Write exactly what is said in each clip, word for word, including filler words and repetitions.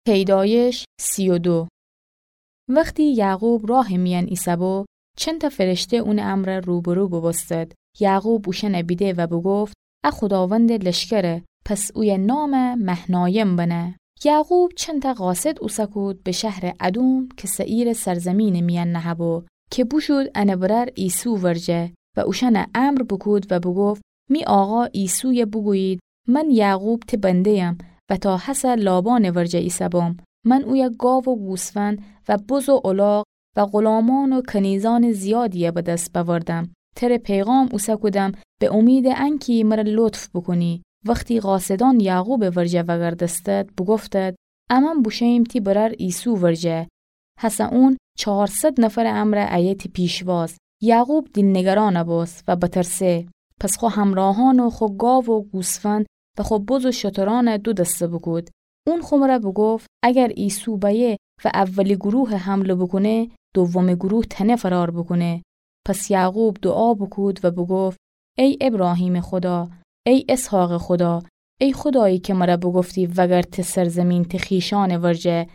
پیدایش سی و دو. وختی یعقوب راه میأن ایسه‌بو، چنتأ فرشته اونٚ امرأ روبرو بوبوستد. یعقوب اوشأنه بیده و بوگفت: ا خوداوندٚ لشکره، پس اویه نام مهنایم بنه. یعقوب چنتأ قاصد اوسه کود به شهرٚ ادوم کی سئیرٚ سرزمینٚ میأن نهه‌بو، کی بوشود انٚ برأر عیسو ورجه و اوشأنه امر بوکود و بوگفت: می آقا عیسویه بوگویید، من یعقوب تی بنده‌یم و تا هسه لابانٚ ورجه ایسه‌بوم. من اویه گاو و گوسفند و بز و الاغ و غلامان و کنیزأنٚ زیادیی به دس بأوردم. تره پیغام اوسه کودم به اومیدٚ انکی مره لطف بوکونی. وختی قاصدأن یعقوبٚ ورجه وأگردستد، بوگفتد: امأن بوشوییم تی برأر عیسو ورجه. هسه اون چهارصد نفرٚ امرأ ایه تی پیشواز. یعقوب دیل‌نگران بوست و بترسه. پس خو همرأهأن و خو گاو و گوسفند و خو بز و شترأن دو دسته بوکود. اون خو مره بوگفت: اگر عیسو بأیه و اولی گروه حمله بوکونه، دومی گروه تأنه فرار بوکونه. پس یعقوب دوعا بوکود و بوگفت: ای ابراهیمٚ خودا، ای اسحاقٚ خودا، ای خودایی کی مره بوگفتی وأگرد تی سرزمین تی خویشأنٚ ورجه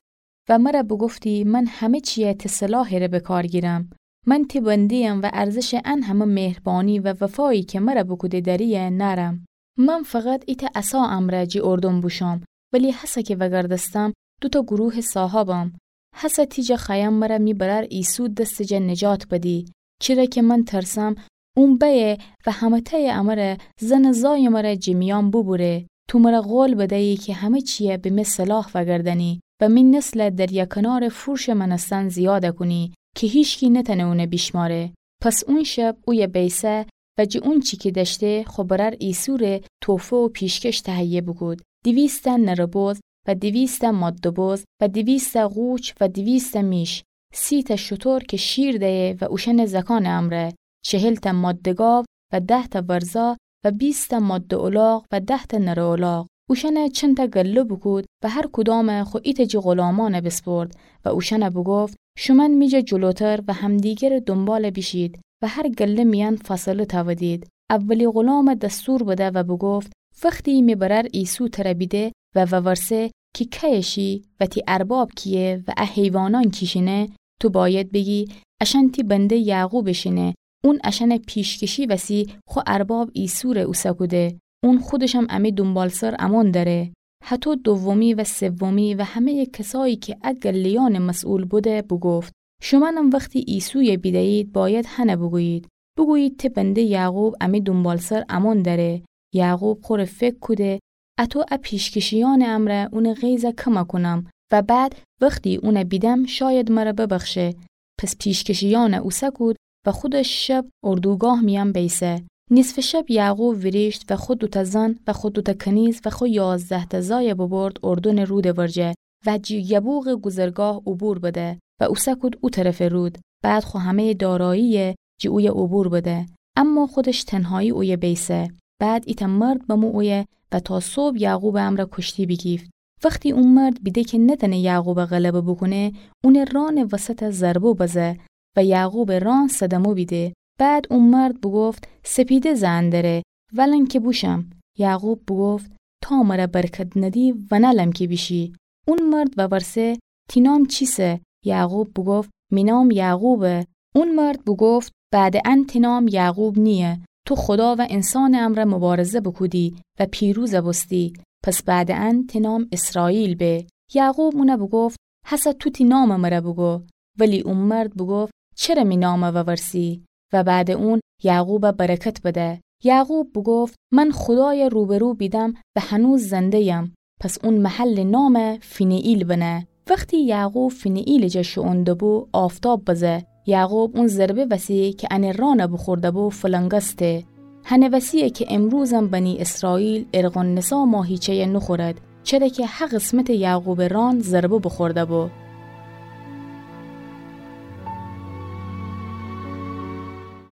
و مره بوگفتی من همه چیی تی صلاحٚ ره به کار گیرم. من تی بنده‌یم و ارزشٚ ان همه مهربانی و وفایی کی مره بوکوده دأریی نأرم. من فقط ایتأ عصا امرأ جٚه اردن بوشوم، ولی هسه کی وأگردستم دوتأ گروهٚ صاحبم. هسه تی جا خوأیم مره می برأر عیسو دستٚ جا نجات بدی. چره کی من ترسم اون بأیه و همه‌تأیٚ امره زن و زایٚ مره جٚه میأن بوبوره. تو مره قول بدیی کی همه چیی به می صلاح وأگردأنی و می نسل دریاکنارٚ فورشٚ مأنستن زیاد کونی کی هیچکی نتأنه اونه بیشمأره. پس اون شب اویه بیسه و جٚه اونچی کی دأشته خو برأر عیسو ره تحفه و پیشکش تهیه بوکود. دویست تأ نره بز و دویست تأ ماده بز و دویست تأ قوچ و دویست تأ میش، سی تأ شتر کی شیر دیه و اوشأنٚ زأکأنٚ امرأ، چهل تأ ماده گاو و ده تأ ورزا و بیست تأ ماده الاغ و ده تأ نره الاغ. اوشأنه چنتأ گله بوکود و هر کدامه خو ایتأ جٚه غلامأنه بیسپرد و اوشأنه بوگفت: شومأن می جا جلوتر و همدیگرٚ دونبال بیشید و هر گله میأن فاصله تأودید. اولی غلامه دستور بده و بوگفت: وختی می برأر عیسو تره بیده و وورسه کی کیی شی و تی ارباب کییه و ا حیوانأن کیشینه، تو بأید بیگی اشأن تی بنده یعقوبٚ شینه، اون اشأنٚ پیشکشی وسی خو ارباب عیسو ره اوسه کوده. اون خودشم امی دونبالسر امون دأره. هطو دومی و سومی و همه‌یٚ کسایی کی ا گله‌یأنٚ مسئول بوده بوگفت: شومأنم وختی عیسویه بیده‌یید بأید هنه بوگویید، بوگویید تی بنده یعقوب امی دونبالسر امون دأره. یعقوب خوره فکر کوده: اطو ا پیشکشیأنٚ امرأ اونٚ غیظه کم کونم و بعد وختی اونه بیدم شاید مره ببخشه. پس پیشکشیأنه اوسه کود و خودش شب اردوگاه میأن بیسه. نیصفٚ شب یعقوب ویریشت و خو دوتأ زن و خو دوتأ کنیز و خو یازده تأ زایه ببرد اردنٚ رودٚ ورجه و جٚه یبوقٚ گذرگاه عبور بده و اوسه کود او طرفٚ رود. بعد خو همه‌یٚ داراییه جٚه اویه عبور بده، اما خودش تنهایی اویه بیسه. بعد ایتأ مرد بمو اویه و تا صبح یعقوبٚ امرأ کوشتی بیگیفت. وختی او مرد بیده کی نتأنه یعقوبه غلبه بوکونه، اونٚ رانٚ وسطه ضربه بزه و یعقوبٚ ران صدمه بیده. بعد او مرد بوگفت: سپیده زئن دره، ولن کی بوشم. یعقوب بوگفت: تا مره برکت ندی ونألم کی بیشی. اون مرد وورسه: تی نام چیسه؟ یعقوب بوگفت: می نام یعقوبه. اون مرد بوگفت: بعدٚ ان تی نام یعقوب نییه. تو خودا و انسانٚ امرأ مبارزه بوکودی و پیروز بوستی. پس بعدٚ ان تی نام اسرائیل به. یعقوب اونه بوگفت: هسه تو تی نامٚ مره بوگو. ولی او مرد بوگفت: چره می نامه وورسی؟ و بعدٚ اون یعقوبه برکت بده. یعقوب بوگفت: من خودایه روبه‌رو بیدم و هنوز زنده‌یم. پس اون محلٚ نامه فنیئیل بنه. وختی یعقوب فنیئیلٚ جا شوئون دوبو، آفتاب بزه. یعقوب اون ضربه وسی کی انه رانه بوخورده بو فلنگسته. هنه وسییه کی امروزم بنی اسرائیل ارغن‌نسا ماهیچه‌یه نوخورد، چره کی هه قسمتٚ یعقوبٚ ران ضربه بوخورده بو.